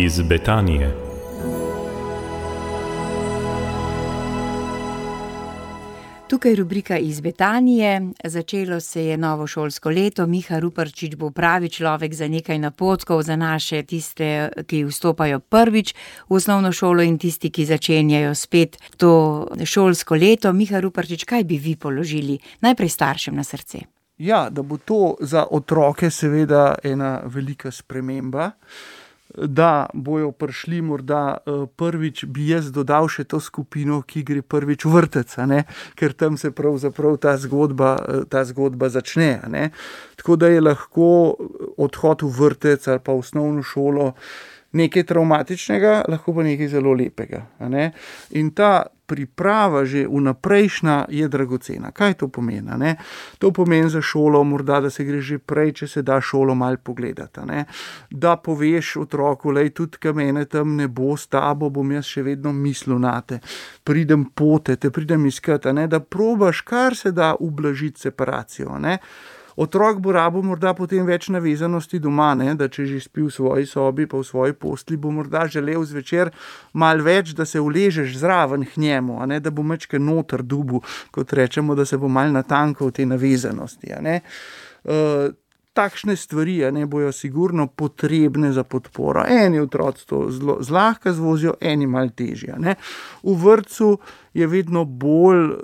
iz Betanije. Tukaj rubrika iz Betanije. Začelo se je novo šolsko leto. Miha Ruparčič bo pravi človek za nekaj napotkov za naše tiste, ki vstopajo prvič v osnovno šolo in tisti, ki začenjajo spet to šolsko leto. Miha Ruparčič, kaj bi vi položili najprej staršem na srce? Ja, da bo to za otroke seveda ena velika sprememba, da bojo prišli morda prvič, bi jaz dodal še to skupino, ki gre prvič v vrtec, ker tam se pravzaprav ta zgodba začne. Tako da je lahko odhod v vrtec ali pa v osnovno šolo nekaj travmatičnega, lahko pa nekaj zelo lepega. In ta priprava že vnaprejšnja je dragocena. Kaj to pomeni? To pomeni za šolo morda, da se gre že prej, če se da šolo malo pogledati. Da poveš otroku, lej, tudi ka mene tam ne bo s tabo, bom jaz še vedno mislil nate. Pridem pote, te pridem iskat, da probaš kar se da ublažiti separacijo. Otrok bo rabil morda potem več navezanosti doma, da če že spi v svoji sobi pa v svoji postelji, bo morda želel zvečer malo več, da se uležeš zraven k njemu, da bo mečke noter dubu, kot rečemo, da se bo malo natankal te navezanosti. Takšne stvari bojo sigurno potrebne za podporo. Eni otroci to zlahka zvozijo, eni malo težje. V vrtcu je vedno bolj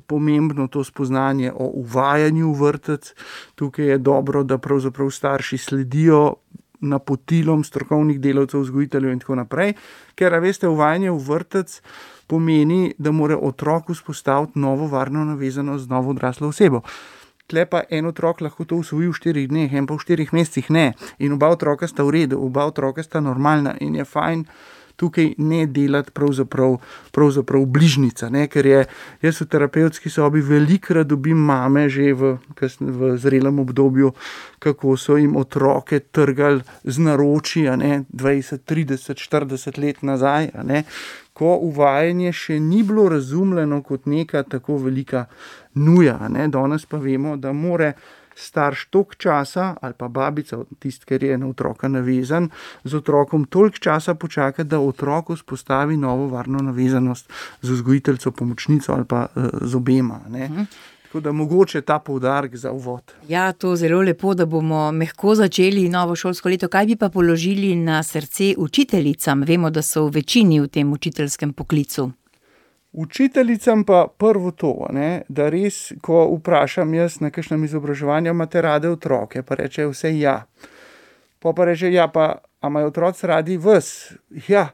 pomembno to spoznanje o uvajanju v vrtec. Tukaj je dobro, da pravzaprav starši sledijo napotilom strokovnih delavcev, vzgojiteljev in tako naprej, ker, veste, uvajanje v vrtec pomeni, da mora otrok vzpostaviti novo varno navezanost z novo odraslo osebo. Tle pa en otrok lahko to usvoji v 4 dneh, en pa v 4 mesecih ne. In oba otroka sta v redu, oba otroka sta normalna in je fajn tukaj ne delati pravzaprav bližnica, ker jaz v terapevtski sobi velikokrat dobim mame že v zrelem obdobju, kako so jim otroke trgali z naročji, 20, 30, 40 let nazaj, ko uvajanje še ni bilo razumljeno kot neka tako velika nuja. Danes pa vemo, da more starš toliko časa, ali pa babica, tisti, ker je na otroka navezan, z otrokom toliko časa počakati, da otrok vzpostavi novo varno navezanost z vzgojiteljico, pomočnico ali pa z obema. Tako da mogoče ta poudarek za uvod. Ja, to zelo lepo, da bomo mehko začeli novo šolsko leto. Kaj bi pa položili na srce učiteljicam? Vemo, da so v večini v tem učiteljskem poklicu. Učiteljicam pa prvo to, da res, ko vprašam jaz na kakšnem izobraževanju, imate rade otroke, pa reče vse ja. Pa reče, ja, pa a imajo otroci radi vas? Ja,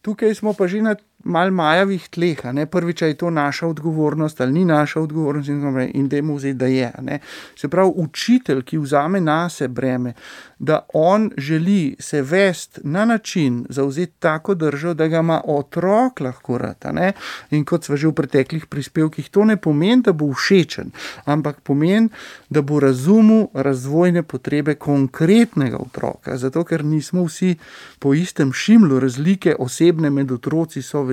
tukaj smo pa že na malo majavih tleh, prvič je to naša odgovornost ali ni naša odgovornost in dajmo vzeti, da je. Se pravi, učitelj, ki vzame nase breme, da on želi se vesti na način, zavzeti tako držo, da ga ima otrok lahko rad. In kot sva že v preteklih prispevkih, to ne pomeni, da bo všečen, ampak pomeni, da bo razumel razvojne potrebe konkretnega otroka, zato ker nismo vsi po istem šimlu, razlike osebne med otroci so velike.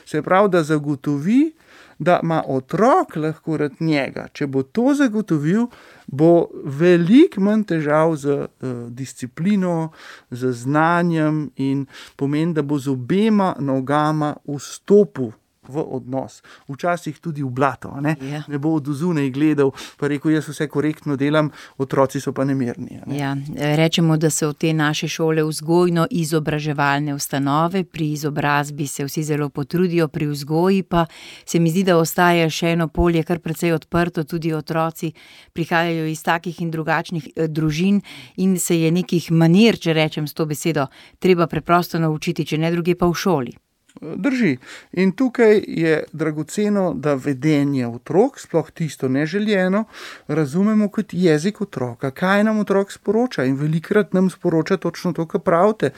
Se pravi, da zagotovi, da ima otrok lahko rad njega. Če bo to zagotovil, bo veliko manj težav z disciplino, z znanjem in pomeni, da bo z obema nogama vstopil v odnos. Včasih tudi v blato. Ja. Ne bo od zunaj gledal, pa rekel, jaz vse korektno delam, otroci so pa nemirni. Ja, rečemo, da so te naše šole vzgojno-izobraževalne ustanove, pri izobrazbi se vsi zelo potrudijo, pri vzgoji pa se mi zdi, da ostaja še eno polje kar precej odprto, tudi otroci prihajajo iz takih in drugačnih družin in se je nekih manir, če rečem s to besedo, treba preprosto naučiti, če ne druge pa v šoli. Drži. In tukaj je dragoceno, da vedenje otrok, sploh tisto neželjeno, razumemo kot jezik otroka. Kaj nam otrok sporoča? In velikokrat nam sporoča točno to, kar pravite,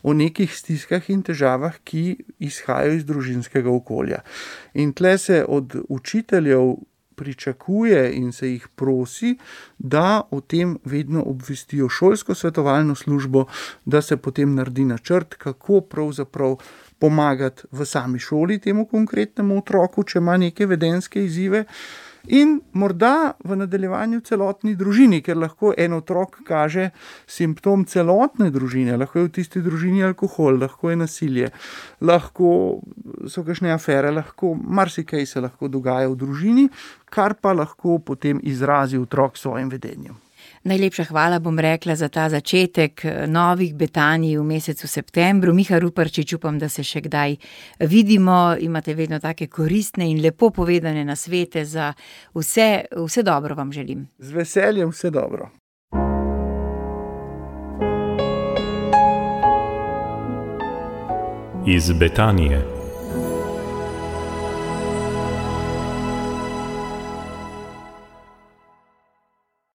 o nekih stiskah in težavah, ki izhajajo iz družinskega okolja. In tle se od učiteljev pričakuje in se jih prosi, da o tem vedno obvestijo šolsko svetovalno službo, da se potem naredi načrt, kako pravzaprav pomagati v sami šoli temu konkretnemu otroku, če ima neke vedenjske izzive. In morda v nadaljevanju celotni družini, ker lahko en otrok kaže simptom celotne družine, lahko je v tisti družini alkohol, lahko je nasilje, lahko so kakšne afere, lahko marsikaj se lahko dogaja v družini, kar pa lahko potem izrazi otrok s svojim vedenjem. Najlepša hvala, bom rekla, za ta začetek novih betanij v mesecu septembru. Miha Ruparčič, upam, da se še kdaj vidimo. Imate vedno take koristne in lepo povedane nasvete za vse. Vse dobro vam želim. Z veseljem, vse dobro. Iz Betanije.